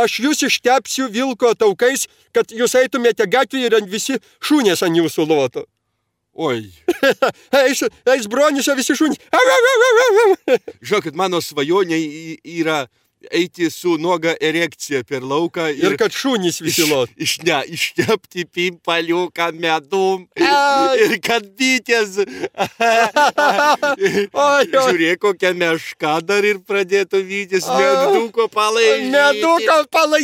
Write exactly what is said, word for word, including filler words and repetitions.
aš jūs ištepsiu vilko taukais, kad jūs eitumėte gatvį ir visi šunės ant jūsų loto. Oi. eis, eis bronius, visi šunys. Žinokit, mano svajonė yra eiti su nuoga erekcija per lauką. Ir, ir kad šunys visi lot. Iš, iš, ne, ištepti pimpaliuką medum. Ir kad bitės. Žiūrėk, kokią mešką dar ir pradėtų vytis meduko palaižyti. Meduko palaižyti.